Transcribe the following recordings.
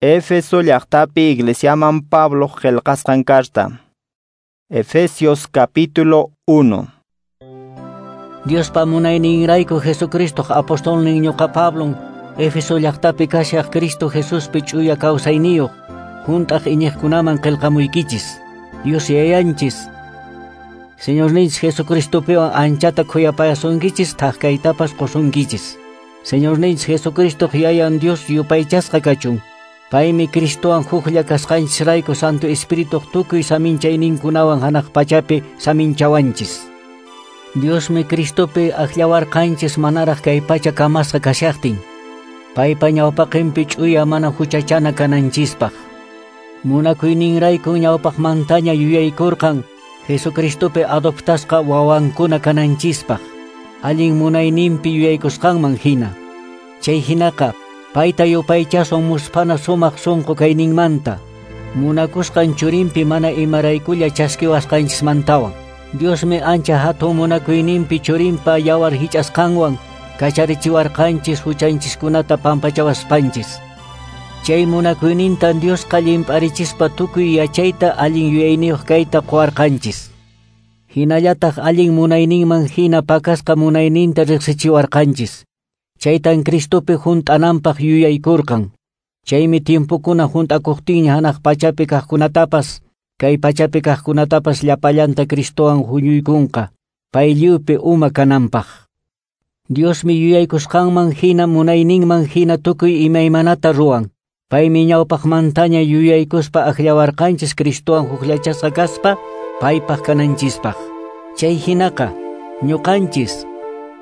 Éfeso llaqtapi iglesiaman Pablo qillqasqan carta. Efesios capítulo 1. Diospa munayninrayku Jesucristo apostolnin ñuqa Pablon Éfeso llaqtapi kashaq Cristo Jesuspi ch'uya kawsayniyuq hunt'aq iñiqkunaman qillqamuykichis. Dios yayanchis Señorninchis Jesucristopiwan anchata khuyapayasunkichis thak kaytapas qusunkichis. Señorninchis Jesucristo yayan Dios yupaychasqa kachun. Paymi Cristowan huklla kasqanchisrayku Santo Espíritu tukuy saminchayninkunawan hanaq pachapi saminchawanchis. Diosmi Cristopi akllawarqanchis manaraq kay pacha kamasqa kashaqtin. Paypa ñawpaqinpi ch'uya mana huchachana kananchispaq. Munakuyninrayku ñawpaqmantaña yuyaykurqan Jesucristopi adoptasqa wawankuna kananchispaq. Allin munayninpi yuyaykusqanman hina. Chay hinaqa payta yupaychasun musphana sumaq sunqu kayninmanta. Munakusqan churinpi mana imaraykulla chaskiwasqanchismantawan. Diosmi ancha hatun munakuyninpi churinpa yawar hich'asqanwan kacharichiwarqanchis huchanchiskunata pampachawaspanchis. Chay munakuynintan Diosqa llimp'arichispa tukuy yachayta allin yuyayniyuq kayta quwarqanchis. Hinallataq allin munayninman hina pakasqa munayninta riqsichiwarqanchis. Chaytan Cristopi hunt'ananpaq yuyaykurqan. Chaymi tiempokuna hunt'akuqtinña hanaq pachapi kaqkunatapas, kay pachapi kaqkunatapas llapallanta Cristowan huñuykunqa, pay lliwpi uma kananpaq. Diosmi yuyaykusqanman hina munayninman hina tukuy imaymanata ruwan. Paymi ñawpaqmantaña yuyaykuspa akllawarqanchis Cristowan hukllachasqa kaspa paypaq kananchispaq. Chay hinaqa ñuqanchis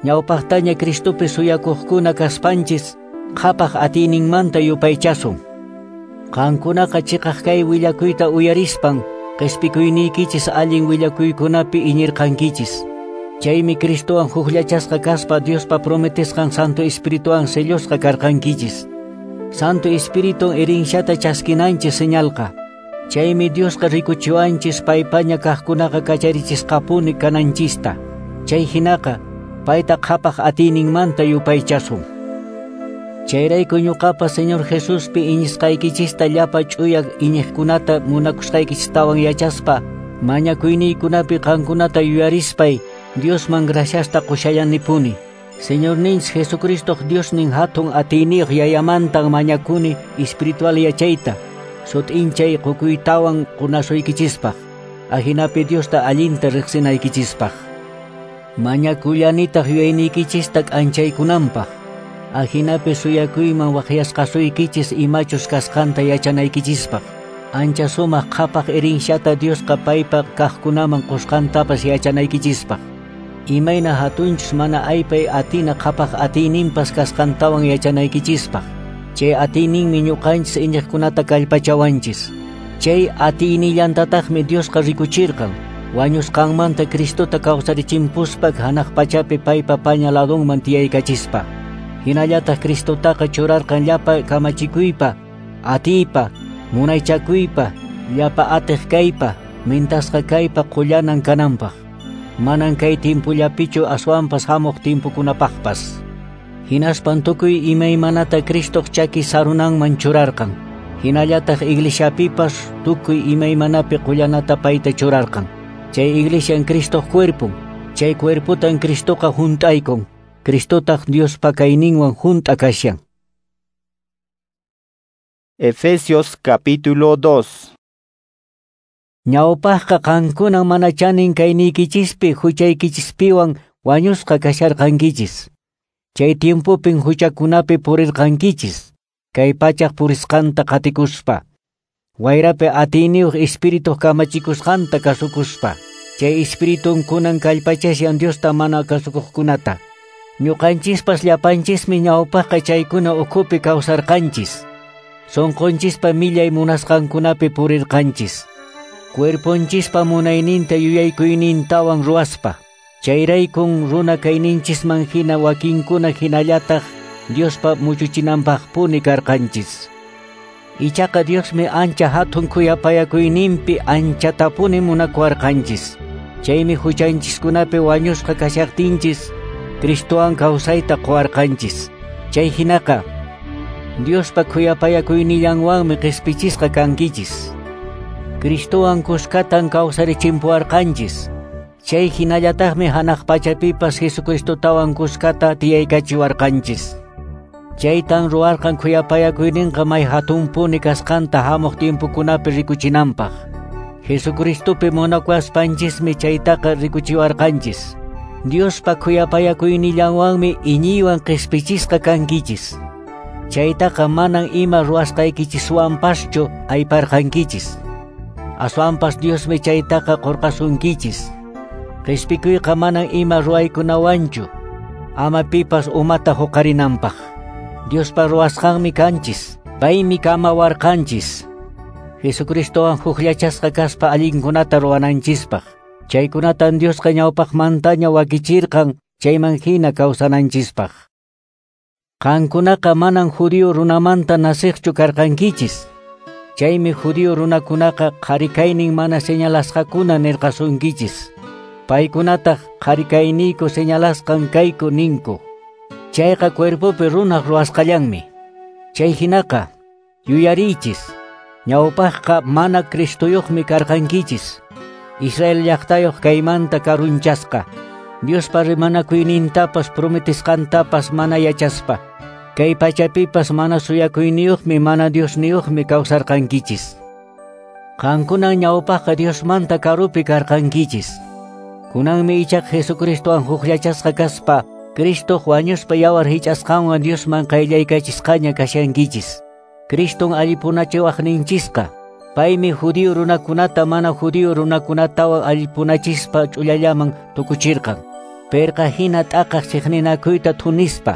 ñawpaqtaña Cristopi suyakuqkuna kaspanchis qhapaq atiyninmanta yupaychasun. Qankunaqa chiqaq kay willakuyta uyarispan qhispikuyniykichis allin willakuykunapi iñirqankichis. Chaymi Cristowan hukllachasqa kaspa Diospa prometesqan Santo Espirituwan sellosqa karqankichis. Santo Espíritu herensiata chaskinanchis señalqa. Chaymi Diosqa rikuchiwanchis paypaña kaqkunaqa kacharichisqapuni kananchista. Chay hinaqa payta qhapaq atiyninmanta yupaychasun. Chayrayku ñuqapa Señor Jesuspi iñisqaykichista llapa ch'uya iñiqkunata munakusqaykichistawan yachaspa mañakuyniykunapi qankunata yuyarispay Diosman graciasta qushallanipuni. Señorninchis Jesucristo Diosnin hatun atiyniyuq yayamantan mañakuni espiritual yachayta sut'inchay qukuytawan qunasuykichispaq. Ajinapi Diosta allinta riqsinaykichispaq. Mañakullanitaq yuyayniykichista k'anchaykunanpaq. Ajinapi suyakuyman waqyasqasuykichis imachus kasqanta yachanaykichispaq. Ancha sumaq qhapaq herensiata Diosqa paypa kaqkunaman qusqantapas yachanaykichispaq. Imayna hatunchus mana aypay atina qhapaq atiyninpas kasqantawan yachanaykichispaq. Chay atiyninmi ñuqanchis iñiqkunata kallpachawanchis. Chay atiynillantataqmi Diosqa rikuchirqan. Wañusqanmanta Cristota kawsarichimpuspa hanaq pachapi paypa paña ladunman tiyaykachispa. Hinallataq Cristotaqa churarqan llapa kamachikuypa, atiypa, munaychakuypa, llapa atiq kaypa, mintasqa kaypa qullanan kananpaq. Manan kay timpullapichu aswanpas hamuq timpukunapaqpas. Hinaspan tukuy imaymanata Cristoq chaki sarunanman churarqan. Hinallataq iglesiapipas tukuy imaymanapi qullanata payta churarqan. Chay iglesian Cristoq cuerpon. Chay cuerpotan Cristoqa hunt'aykun. Cristotaq Diospa kayninwan hunt'a kashan. Efesios capítulo 2. Ñawpaqqa qankunan mana chanin kayniykichispi huchaykichispiwan wañusqa kasharqankichis. Chay tiempopin huchakunapi purirqankichis, kay pachaq purisqanta qatikuspa. Wayrapi atiyniyuq espirituq kamachikusqanta kasukuspa. Chay espiritun kunan kallpachashan Diosta mana kasukuqkunata. Ñuqanchispas llapanchismi ñawpaqqa chaykuna ukhupi kawsarqanchis. Sunqunchispa millay munasqankunapi purirqanchis. Cuerponchispa munayninta yuyaykuynintawan ruwaspa. Chayraykun runa kayninchisman hina wakinkuna hinallataq Diospa muchuchinanpaqpuni karqanchis. Ichaqa Diosmi ancha hatun khuyapayakuyninpi anchatapuni munakuwarqanchis. Chaymi huchanchiskunapi wañusqa kashaqtinchis Cristowan kawsayta quwarqanchis. Chay hinaqa Diospa khuyapayakuynillanwanmi qhispichisqa kankichis. Cristowan kuskatan kawsarichimpuwarqanchis. Chay hinallataqmi hanaq pachapipas Jesucristotawan kuskata tiyaykachiwarqanchis. Chaytan ruwarqan khuyapayakuyninqa may hatunpuni kasqanta hamuq tiempokunapi rikuchinanpaq. Jesucristopi munakuwaspanchismi chaytaqa rikuchiwarqanchis. Diospa khuyapayakuynillanwanmi iñiywan qhispichisqa kankichis. Chaytaqa manan ima ruwasqaykichiswanpaschu ayparqankichis. Aswanpas Diosmi chaytaqa qurqasunkichis. Qhispikuyqa manan ima ruwaykunawanchu, ama pipas umata huqarinanpaq. Diospa ruwasqanmi kanchis, paymi kamawarqanchis. Jesucristowan hukllachasqa kaspa allinkunata ruwananchispaq. Chaykunatan Diosqa ñawpaqmantaña wakichirqan chayman hina kawsananchispaq. Qankunaqa manan judío runamanta nasiqchu karqankichis. Chaymi judío runakunaqa qharikaynin mana señalasqakuna nirqasunkichis. Paykunataq qharikayniyku señalasqan kayku ninku. Chayqa cuerpopi runaq ruwasqallanmi. Chay hinaqa yuyariychis. Ñawpaqqa mana Cristoyuqmi karqankichis. Israel llaqtayuq kaymanta karunchasqa. Diospa rimanakuynintapas prometisqantapas mana yachaspa. Kay pachapipas mana suyakuyniyuqmi mana Diosniyuqmi kawsarqankichis. Qankunan ñawpaqqa Diosmanta karupi karqankichis. Kunanmi ichaqa Jesucristowan hukllachasqa kaspa Cristo wañuspa yawar hich'asqanwan Diosman qayllaykachisqaña kashankichis. Criston allipunachiwaqninchisqa. Paymi judío runakunata mana judío runakunatawan allipunachispa ch'ullallaman tukuchirqan. Perqa hina t'aqaq chiqninakuyta thunispa.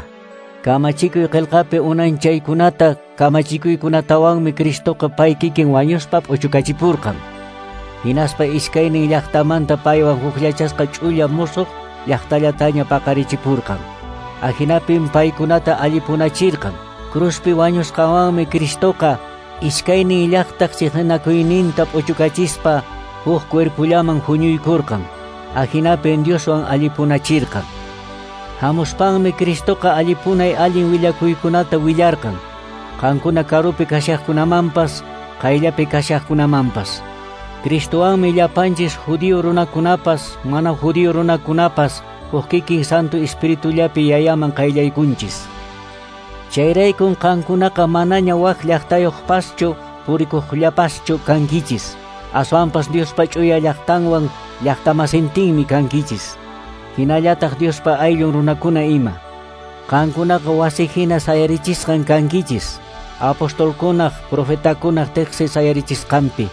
Kamachikuy qillqapi unanchaykunata kamachikuykunatawanmi Cristoqa pay kikin wañuspa p'uchukachipurqan. Hinaspa iskaynin llaqtamanta paywan hukllachasqa ch'ulla musuq llaqtallataña paqarichipurqan. Ahinapim paykunata allipunachirqan. Cruzpi wañusqanwanmi Cristoqa iskaynin llaqtaq chiqninakuyninta p'uchukachispa huk cuerpullaman huñuykurqan. Ahinapim Dioswan allipunachirqan. Hamuspanmi Cristoqa allipunay allin willakuykunata willarqan. Qankuna karupi kashaqkunamanpas, qayllapi kashaqkunamanpas. Cristowanmi llapanchis judío runakunapas, mana judío runakunapas, huk kikin Santo Espiritullapi yayaman qayllaykunchis. Chayraykun qankunaqa manaña wak llaqtayuqpaschu, purikuqllapaschu kankichis. Aswanpas Diospa ch'uya llaqtanwan llaqtamasintinmi kankichis. Hinallataq Diospa ayllun runakuna ima. Qankunaqa wasi hina sayarichisqan kankichis. Apostolkunaq, profetakunaq teqsi sayarichisqanpi.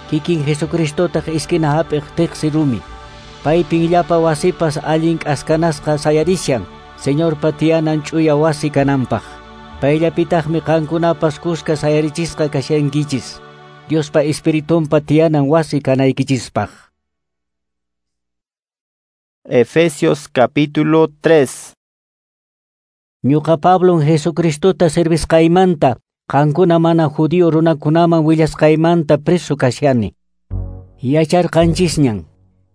Kikin Jesucristotaq iskina hap'iq teqsi rumi. Paypin llapa wasipas allin k'askanasqa sayarishan, Señorpa tiyanan ch'uya wasi kananpaq. Payllapitaqmi qankunapas kuska sayarichisqa kashankichis. Diospa Espiritunpa tiyanan wasi kanaykichispaq. Efesios capítulo 3. Ñuqa Pablon Jesucristota servisqaymanta, qankuna mana judío runakunaman willasqaymanta preso kashani. Yacharqanchisñan,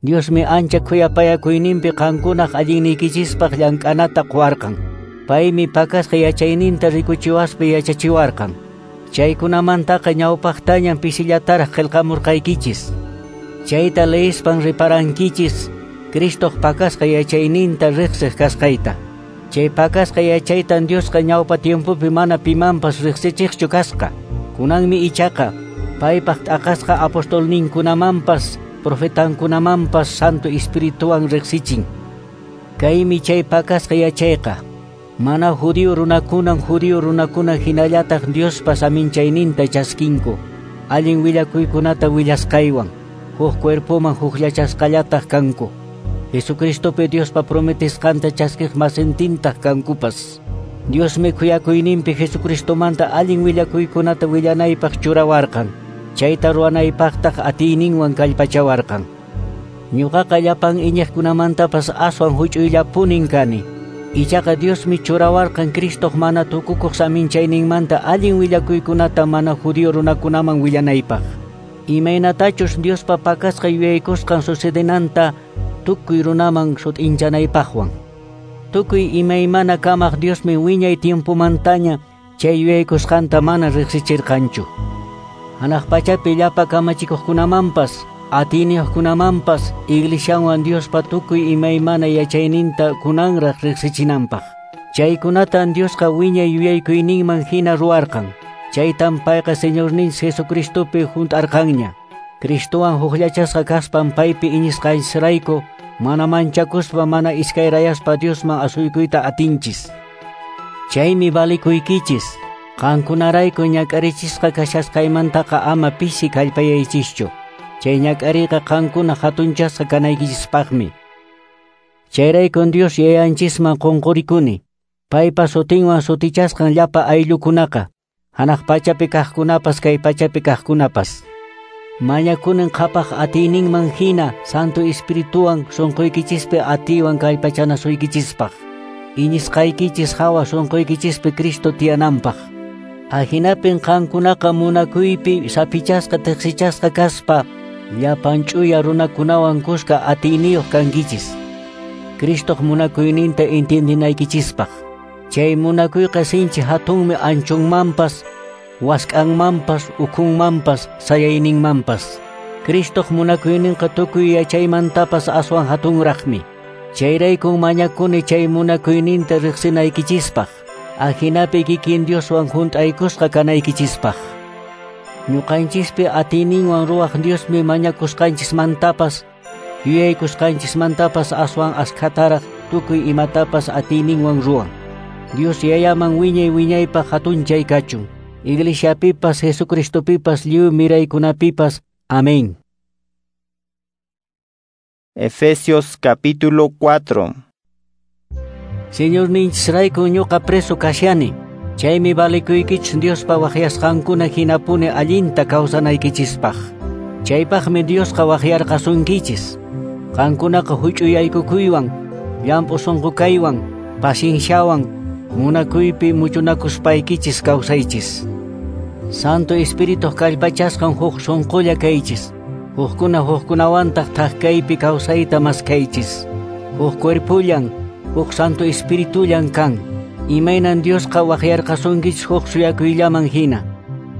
Diosmi ancha khuyapayakuyninpi qankunaq allinniykichispaq llank'anata quwarqan. Paymi pakasqa yachayninta rikuchiwaspa yachachiwarqan. Chaykunamantaqa ñawpaqtañan pisillataraq qillqamurqaykichis. Chayta leispan riparankichis Cristoq pakasqa yachayninta riqsiq kasqayta. Chay pakasqa yachaytan Diosqa ñawpa tiempopi mana pimanpas riqsichiqchu kasqa. Kunanmi ichaqa paypaq t'aqasqa apostolninkunamanpas profetankunamanpas Santo Espirituwan riqsichin. Kaymi chay pakasqa yachayqa. Mana judío runakunan judío runakuna hinallataq Diospa saminchayninta chaskinku. Allin willakuykunata willasqaywan huk cuerpoman hukllachasqallataq kanku. Jesucristopi Diospa prometisqanta chaskiq masintintaq kankupas. Diosmi khuyakuyninpi Jesucristomanta allin willakuykunata willanaypaq churawarqan. Chayta ruwanaypaqtaq atiyninwan kallpachawarqan. Ñuqaqa llapan iñiqkunamantapas aswan huch'uyllapunin kani. Ichaqa Diosmi churawarqan Cristoq mana tukukuq saminchayninmanta allin willakuykunata mana judío runakunaman willanaypaq. Imaynatachus Diospa pakasqa yuyaykusqan sucedenanta tukuy runaman sut'inchanaypaqwan. Tukuy imaymana kamaq Diosmi wiñay tiempomantaña chay yuyaykusqanta mana riqsichirqanchu. Hanaq pachapi llapa kamachikuqkunamanpas, atiyniyuqkunamanpas, iglesianwan Diospa tukuy imaymana yachayninta kunanraq riqsichinanpaq. Chaykunatan Diosqa wiñay yuyaykuyninman hina ruwarqan. Chaytan payqa Señorninchis Jesucristopi hunt'arqanña. Cristowan hukllachasqa kaspan paypi iñisqanchisrayku mana manchakuspa mana iskayrayaspa Diosman asuykuyta atinchis. Chaymi valikuykichis, qankunarayku ñak'arichisqa kashasqaymantaqa ama pisi kallpayaychischu. Chay ñak'ariyqa qankuna hatunchasqa kanaykichispaqmi. Chayraykun Dios Yayanchisman qunqurikuni, paypa sutinwan sutichasqan llapa ayllukunaqa, hanaq pachapi kaqkunapas kay pachapi kaqkunapas. Mañakunin qhapaq atiyninman hina Santo Espirituwan sunquykichispi atiywan kallpachanasuykichispaq. Iñisqaykichis hawa sunquykichispi Cristo tiyananpaq. Ahinapin qankunaqa munakuypi sapichasqa tiqsichasqa kaspa llapan ch'uya runakunawan kuska atiyniyuq kankichis. Cristoq munakuyninta entiendinaykichispaq. Chay munakuyqa sinchi hatunmi anchunmanpas, wask'anmanpas, ukhunmanpas, sayayninmanpas. Cristoq munakuyninqa tukuy yachaymantapas aswan hatunraqmi. Chayraykun mañakuni chay munakuyninta riqsinaykichispaq. Ajinapi kikin Dioswan hunt'aykusqa kanaykichispaq. Ñuqanchispi atiyninwan ruwaq Diosmi mañakusqanchismantapas, yuyaykusqanchismantapas aswan askhataraq tukuy imatapas atiyninwan ruwan. Dios Yayaman wiñay wiñaypaq hatunchay kachun. Iglesiapipas, Jesucristopipas, lliw miraykunapipas. Amén. Efesios capítulo 4. Señorninchisrayku ñuqa preso kashani. Chaymi valikuykichis Diospa waqyasqankuna hinapuni allinta kawsanaykichispaq. Chaypaqmi Diosqa waqyarqasunkichis. Qankunaqa huch'uyaykukuywan, llamp'u sunqu kaywan, pacienciawan, munakuypi muchunakuspaykichis kawsaychis. Santo Espirituq kallpachasqan huk sunqulla kaychis. Hukkuna hukkunawantaq thak kaypi kawsayta maskaychis. Huk cuerpullan, huk Santo Espiritullan kan. Imaynan Diosqa waqyarqasunkichis huk suyakuyllaman hina.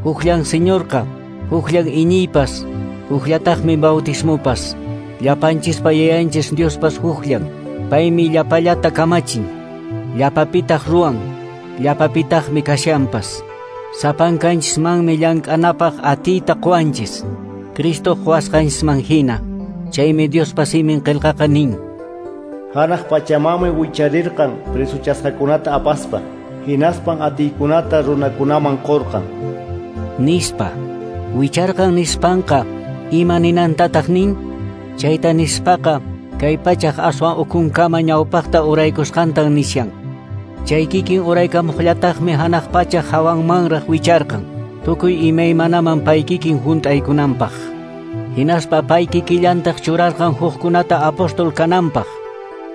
Hukllan Señorqa, hukllan iñiypas, hukllataqmi bautismopas. Llapanchispa yayanchis Diospas hukllan. Paymi llapallata kamachin. Llapapitaq ruwan, llapapitaqmi kashanpas. Sapankanchismanmi llank'anapaq atiyta quwanchis. Cristo quwasqanchisman hina. Chaymi Diospa simin qillqaqa nin: Hanaq pachamanmi wicharirqan presuchasqakunata apaspa, hinaspan atiykunata runakunaman qurqan. Nispa. Wicharqan nispanqa ima ninantataq nin? Chayta nispaqa kay pachaq aswan ukunkama ñawpaqta uraykusqantan nishan. Chay kikin uraykamuqllataqmi hanaq pachaq hawanmanraq wicharqan, tukuy imaymanaman pay kikin hunt'aykunanpaq. Hinaspa pay kikillantaq churarqan hukkunata apóstol kananpaq,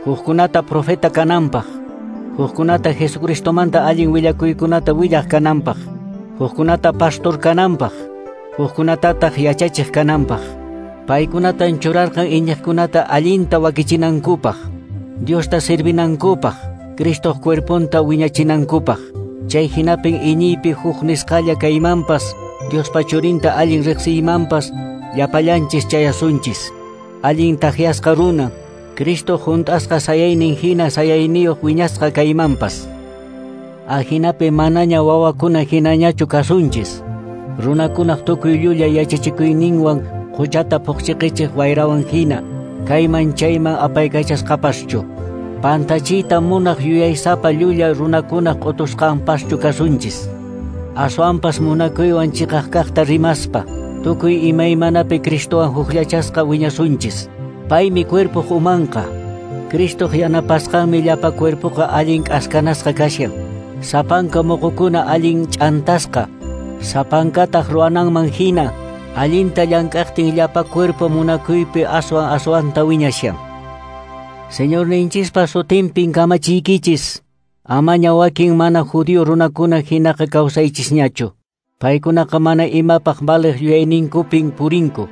hukkunata profeta kananpaq, hukkunata Jesucristomanta allin willakuykunata willaq kananpaq, hukkunata pastor kananpaq, hukkunatataq yachachiq kananpaq. Paykunatan churarqan iñiqkunata allinta wakichinankupaq, Diosta servinankupaq, Cristoq cuerponta wiñachinankupaq. Chay hinapin iñiypi huk nisqalla kaymanpas, Diospa churinta allin riqsiymanpas, llapallanchis chayasunchis. Allin takyasqa runa, Cristo hunt'asqa sayaynin hina sayayniyuq wiñasqa kaymanpas. Ajinapi manaña wawakuna hinañachu kasunchis. Runakunaq tukuy llulla yachachikuyninwan quchata phuqchiqichiq wayrawan hina, kayman chayman apaykachasqapaschu. Pantachiyta munaq yuyaysapa llulla runakunaq q'utusqanpaschu kasunchis. Aswanpas munakuywan chiqaq kaqta rimaspa, tukuy imaymanapi Cristowan hukllachasqa wiñasunchis. Paymi cuerpoq umanqa. Cristoq yanapasqanmi llapa cuerpoqa allin k'askanasqa kashan. Sapanka muqukuna allin ch'antasqa, sapankataq ruwananman hina, allinta llank'aqtin llapa cuerpo munakuypi aswan aswanta wiñashan. Señorninchispa sutinpin kamachiykichis, amaña wakin mana judío runakuna hinaqa kawsaychisñachu. Paykunaqa mana imapaq valiq yuyayninkupin purinku.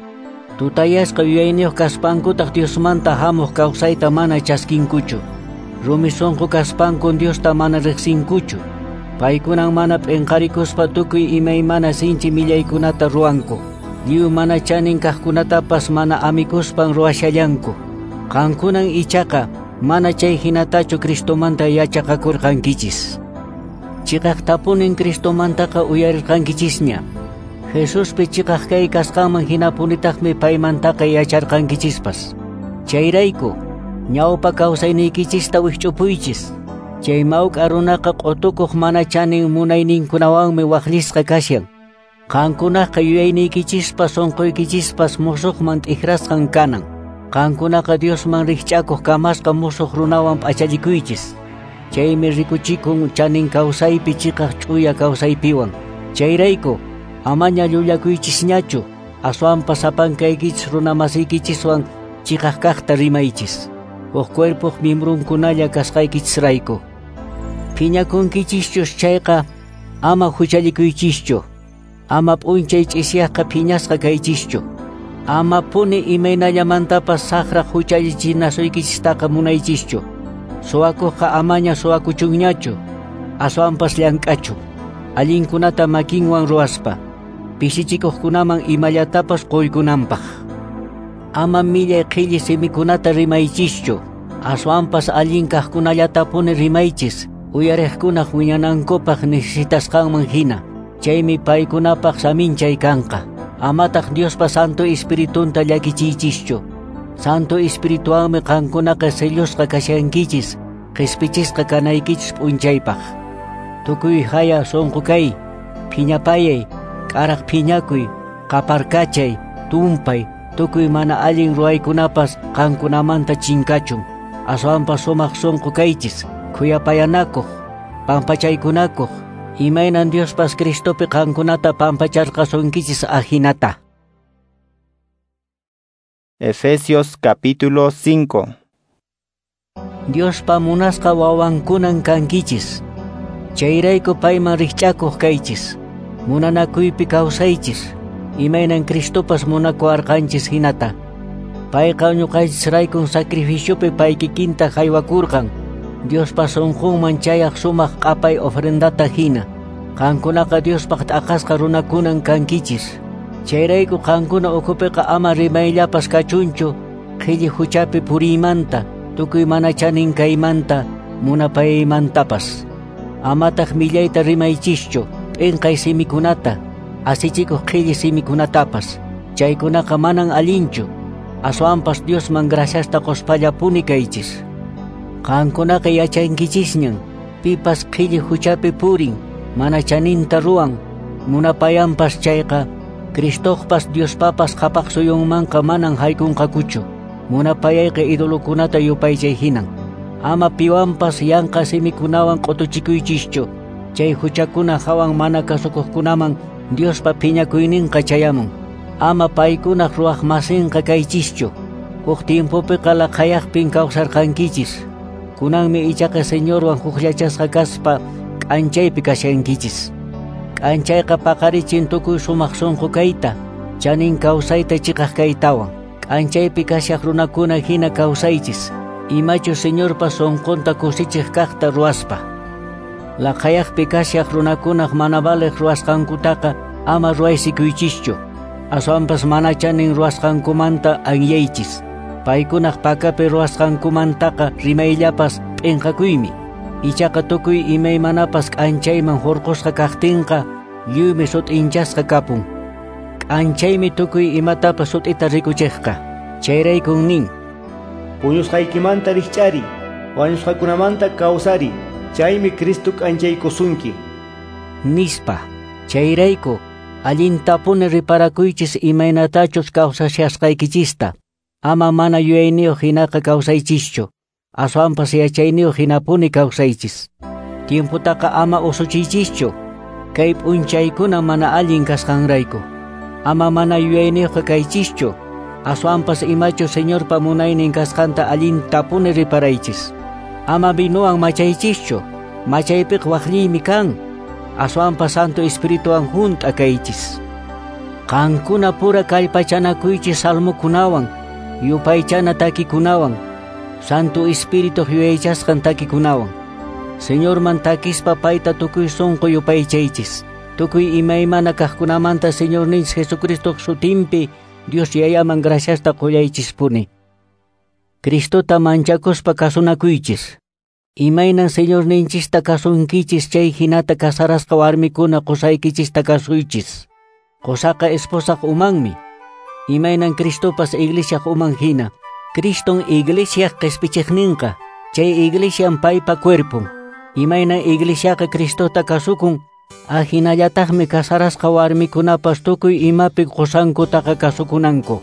Tutayasqa yuyayniyuq kaspankutaq Diosmanta hamuq kawsayta mana chaskinkuchu. Rumi sunqu kaspankun Diosta mana riqsinkuchu. Paykunan mana p'inqarikuspa tukuy imaymana sinchi millaykunata ruwanku. Lliw mana chanin kaqkunatapas mana amikuspan ruwashallanku. Qankunan ichaqa mana chay hinatachu Cristomanta yachaqakurqankichis. Chiqaqtapunin Cristomantaqa uyarirqankichisña. Jesuspi chiqaq kay kasqanman hinapunitaqmi paymantaqa yacharqankichispas. Chayrayku, ñawpa kawsayniykichista wikch'upuychis. Chay mawk'a runaqa q'utukuq mana chanin munayninkunawanmi waqllisqa kashan. Qankunaqa yuyayniykichispas sunquykichispas musuqman t'ikrasqan kanan. Qankunaqa Diosman rikch'akuq kamasqa musuq runawan p'achallikuychis. Chaymi rikuchikun chanin kawsaypi chiqaq ch'uya kawsaypiwan. Chayrayku, amaña llullakuychisñachu, aswanpas sapankaykichis runamasiykichiswan chiqaq kaqta rimaychis. Huk cuerpoq miembrunkunalla kasqaykichisrayku. Phiñakunkichischus chayqa ama huchallikuychischu. Ama p'unchay ch'isiyaqqa phiñasqa kaychischu. Ama puni imaynallamantapas saqra huchallichinasuykichistaqa munaychischu. Suwakuqqa amaña suwakuchunñachu, aswanpas llank'achu. Allinkunata makinwan ruwaspa, pishichikuqkunaman imallatapas quykunanpaq. Ama millay qhilli simikunata rimaychischu, aswanpas allin kaqkunallatapuni rimaychis, uyariqkunaq wiñanankupaq necesitasqanman hina. Chaymi paykunapaq saminchay kanqa. Amataq Diospa Santo Espiritunta llakichiychischu. Santo Espirituanmi qankunaqa sellusqa kashankichis, qispichisqa kanaykichis p'unchaypaq. Tukuy haya sunqu kay, phiñapayay, k'araq phiñakuy, qaparkachay, tumpay, tukuy mana allin ruwaykunapas qankunamanta chinkachun. Aswanpas sumaq sunqu kaychis, khuyapayanakuq, pampachaykunakuq, imaynan Diospas Cristopi qankunata pampacharqasunkichis ajinata. Efesios capítulo 5. Diospa munasqa wawankunan kankichis. Chayrayku payman rikch'akuq kaychis. Munanakuypi kawsaychis. Imaynan Cristopas munakuwarqanchis hinata. Payqa ñuqanchisraykun sacrificiopi pay kikinta haywakurqan. Diospa sunqunman chayaq sumaq q'apay ofrendata hina. Qankunaqa Diospaq t'aqasqa runakunan kankichis. Chayrayku qankuna ukhupiqa ama rimayllapas kachunchu qhilli huchapi puriymanta, tukuy mana chanin kaymanta, munapayaymantapas. Amataq millayta rimaychischu, p'inqay simikunata, asichikuq qhilli simikunatapas. Chaykunaqa manan allinchu, aswanpas Diosman graciasta quspallapuni kaychis. Qankunaqa yachankichisñan, pipas qhilli huchapi purin, mana chaninta ruwan, munapayanpas chayqa, Cristoqpas Diospapas qhapaq suyunmanqa manan haykunqakuchu. Munapayayqa idolokunata yupaychay hinan. Ama piwanpas yanqa simikunawan q'utuchikuychischu. Chay huchakuna hawan mana kasukuqkunaman Diospa phiñakuyninqa chayamun. Ama paykunaq ruwaqmasinqa kaychischu. Huk tiempopiqa laqhayaqpin kawsarqankichis. Kunanmi ichaqa Señorwan hukllachasqa kaspa k'anchaypi kashankichis. K'anchayqa paqarichin tukuy sumaq sunqu kayta, chanin kawsayta chiqaq kaytawan. K'anchaypi kashaq runakuna hina kawsaychis, imachu Señorpa sunqunta kusichiq kaqta ruwaspa. Laqhayaqpi kashaq runakunaq mana valiq ruwasqankutaqa ama ruwaysikuychischu. Aswanpas mana chanin ruwasqankumanta anyaychis. Paykunaq pakapi ruwasqankumantaqa rimayllapas p'inqakuymi. Ichaqa tukuy imaymanapas k'anchayman hurqusqa kaqtinqa lliwmi sut'inchasqa kapun. K'anchaymi tukuy imatapas sut'ita rikuchiqqa. Chayraykun nin: Puñusqaykimanta rikch'ari, wañusqakunamanta kawsari, chaymi Cristo k'anchaykusunki. Nispa. Chayrayku, allintapuni riparakuychis imaynatachus kawsashasqaykichista. Ama mana yuyayniyuq hinaqa kawsaychischu. Aswanpas yachayniyuq hinapuni kawsaychis. Tiemputaqa ama usuchiychischu. Kay p'unchaykuna mana allin kasqanrayku. Ama mana yuyayniyuqqa kaychischu. Aswanpas imachu Señorpa munaynin kasqanta allintapuni riparaychis. Ama vinowan machaychischu. Machaypiqa waqlliymi kan. Aswanpas Santo Espirituwan hunt'a kaychis. Qankuna pura kallpachanakuychis salmokunawan, yupaychana takikunawan, Santo Espíritu yuyaychasqan takikunawan. Señorman takispa payta tukuy sunqu yupaychaychis. Tukuy imaymana kaqkunamanta Señorninchis Jesucristoq sutinpi Dios Yayaman graciasta qullaychispuni. Cristota manchakuspa kasunakuychis. Imaynan Señorninchista kasunkichis chay hinata kasarasqa warmikuna qusaykichista kasuychis. Qosaqa esposaq umanmi. Imaynan Cristopas iglesiaq uman hina. Criston iglesiaq qispichiqninqa. Chay iglesian paypa cuerpon. Imaynan iglesiaqa Cristota kasukun, ahinallataqmi kasarasqa warmikunapas tukuy imapi qosankutaqa kasukunanku.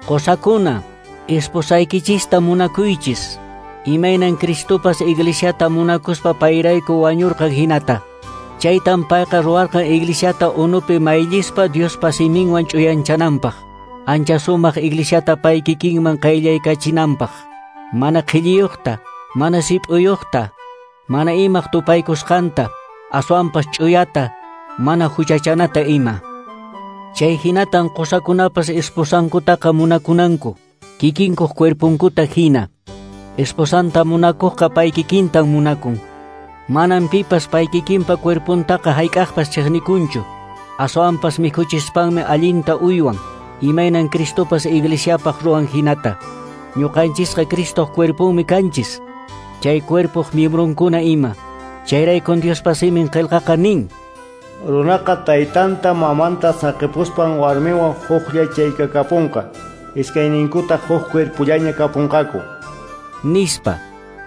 Qosakuna, esposaykichista munakuychis. Imaynan Cristopas iglesiata munakuspa payrayku wañurqan hinata. Chaytan payqa ruwarqan iglesiata unupi mayllispa Diospa siminwan ch'uyanchananpaq. Ancha sumaq iglesiata pay kikinman qayllaykachinanpaq. Mana qhilliyuqta, mana sip'uyuqta, mana imaq tupaykusqanta, aswanpas ch'uyata, mana huchachanata ima. Chay hinatan qosakunapas esposankutaqa munakunanku, kikinkuq cuerpunkuta hina. Esposanta munakuqqa pay kikintan munakun. Manan pipas pay kikinpa cuerpuntaqa hayk'aqpas chiqnikunchu. Aswanpas mikhuchispanmi allinta uywan, imaynan Cristopas iglesiapaq ruwan hinata. Ñuqanchisqa Cristoq cuerpunmi kanchis. Chay cuerpoq miembronkuna ima. Chayraykun Diospa simin qillqaqa nin: Runaqa taytanta mamanta saqipuspan warmiwan huklla chaykakapunqa. Iskayninkutaq huk cuerpullaña kapunqaku. Nispa.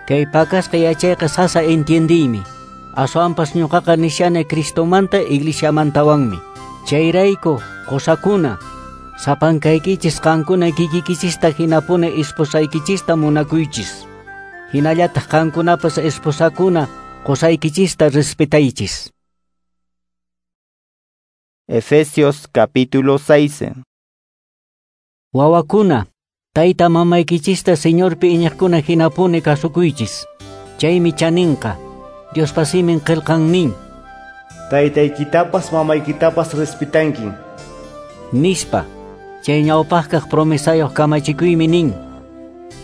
Kay pakasqa yachayqa sasa entiendiymi. Aswanpas ñuqaqa nishani Cristomanta iglesiamantawanmi. Chayrayku qusakuna, sapankaykichis qankuna kikikichista hinapuni esposaykichista munakuychis. Hinallataq qankunapas esposakuna qusaykichista respetaychis. Efesios capítulo 6. Wawakuna, tayta mamaykichista Señorpi iñiqkuna hinapuni kasukuychis. Chaymi chaninqa. Diospa simin qillqan nin: Taytaykitapas mamaykitapas respetankin. Nispa. Chay ñawpaqkaq promesayuq kamachikuymi nin: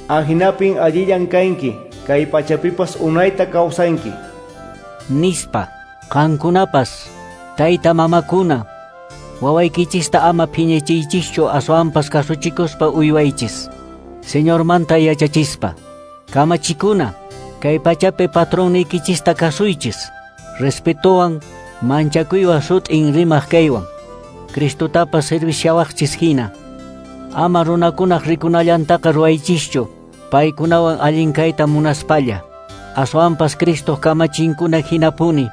Ahinapin allillan kanki, kay pachapipas unayta kawsanki. Nispa. Qankunapas, tayta mamakuna, wawaykichista ama phiñachiychischu, aswanpas kasuchikuspa uywaychis. Señormanta yachachispa. Kamachikuna, kay pachapi patronnikichista kasuychis. Respetowan, manchakuywan sut'in rimaq kaywan. Cristotapas servisyawaqchis hina. Ama runakunaq rikunallantaqa ruwaychischu, paykunawan allin kayta munaspalla. Aswanpas Cristoq kamachinkuna hinapuni,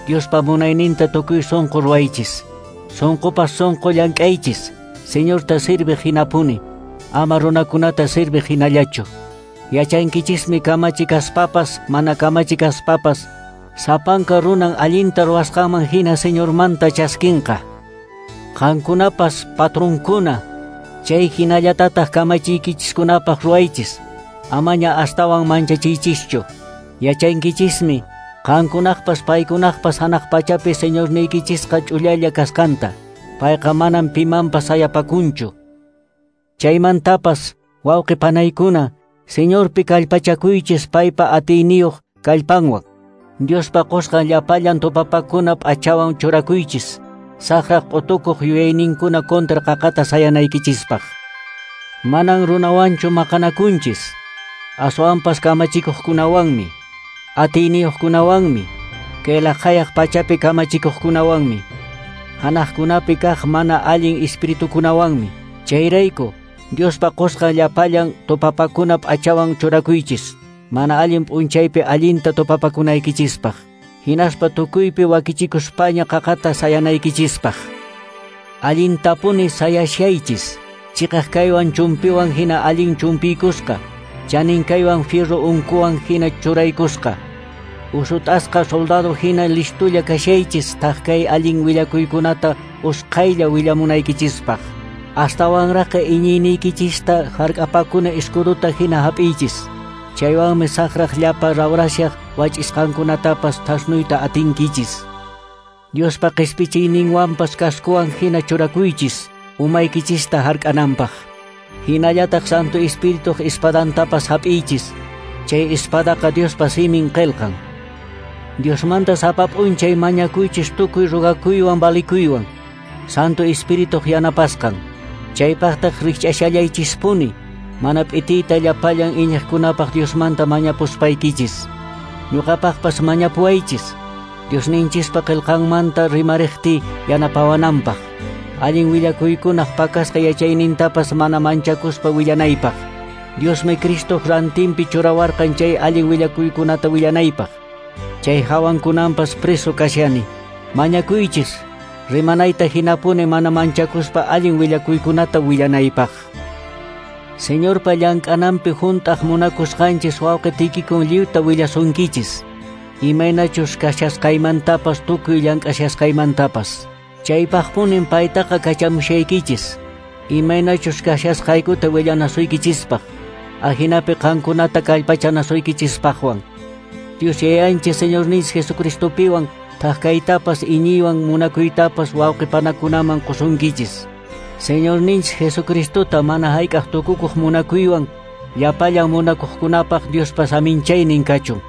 Diospa munayninta tukuy sunqu ruwaychis. Sunqupas sunqu llank'aychis, Señorta sirviq hinapuni, ama runakunata sirviq hinallachu. Yachankichismi kamachi kaspapas, mana kamachi kaspapas, sapanka runan allinta ruwasqanman hina Señormanta chaskinqa. Qankunapas patronkuna, chay hinallatataq kamachiykichiskunapaq ruwaychis, amaña astawan manchachiychischu. Yachankichismi qankunaqpas paykunaqpas hanaq pachapi Señorniykichisqa ch'ullalla kasqanta. Payqa manan pimanpas sayapakunchu. Chaymantapas, wawqi panaykuna, Señorpi kallpachakuychis paypa atiyniyuq kallpanwan. Diospa qusqan llapallan tupapakuna p'achawan churakuychis, saqraq q'utukuq yuyayninkuna kontra qaqata sayanaykichispaq. Manan runawanchu maqanakunchis, aswanpas kamachikuqkunawanmi, atiyniyuqkunawanmi, kay laqhayaq pachapi kamachikuqkunawanmi, hanaqkunapi kaq mana allin espiritukunawanmi. Chayrayku Diospa qusqan llapallan tupapakuna p'achawan churakuychis, mana allin p'unchaypi allinta tupapakunaykichispaq, hinaspa tukuypi wakichikuspaña qaqata sayanaykichispaq. Allintapuni sayashaychis, chiqaq kaywan chumpiwan hina allin chumpiykusqa, chanin kaywan fierro unkuwan hina churaykusqa. Usut'asqa soldado hina listulla kashaychis taq kay allin willakuykunata usqhaylla willamunaykichispaq. Astawanraqqa iñiyniykichista hark'apakuna escudota hina hap'iychis. Chaywanmi saqraq llapa rawrashaq wach'isqankunatapas thasnuyta atinkichis. Diospa qispichiyninwanpas kaskuwan hina churakuychis, umaykichista hark'ananpaq. Hinallataq Santo Espirituq espadantapas hap'iychis. Chay espadaqa Diospa simin qillqan. Diosmanta sapa p'unchay mañakuychis tukuy rogakuywan valikuywan. Santo Espirituq yanapasqan. Chaypaqtaq rikch'ashallaychispuni, mana p'itiyta llapallan iñiqkunapaq Diosmanta mañapuspaykichis. Ñuqapaqpas mañapuwaychis. Diosninchispa qillqanmanta rimariqti yanapawananpaq. Allin willakuykunaq pakasqa yachaynintapas mana manchakuspa willanaypaq. Diosmi Cristoq rantinpi churawarqan chay allin willakuykunata willanaypaq. Chay hawankunanpas preso kashani. Mañakuychis, rimanayta hinapuni mana manchakuspa allin willakuykunata willanaypaq. Señorpa llank'ananpi hunt'aq munakusqanchis wawqi Tikikun lliwta willasunkichis. Imaynachus kashasqaymantapas tukuy llank'ashasqaymantapas. Chaypaqpunin paytaqa kachamushaykichis. Imaynachus kashasqaykuta willanasuykichispaq. Ajinapi qankunata kallpachanasuykichispaqwan. Dios Yayanchis Señorninchis Jesucristopiwan thak-kaytapas iñiywan munakuytapas wawqipanakunaman qusunkichis. Señorninchis Jesucristota mana hayk'aq tukukuq munakuywan llapallan munakuqkunapaq Diospa saminchaynin kachun.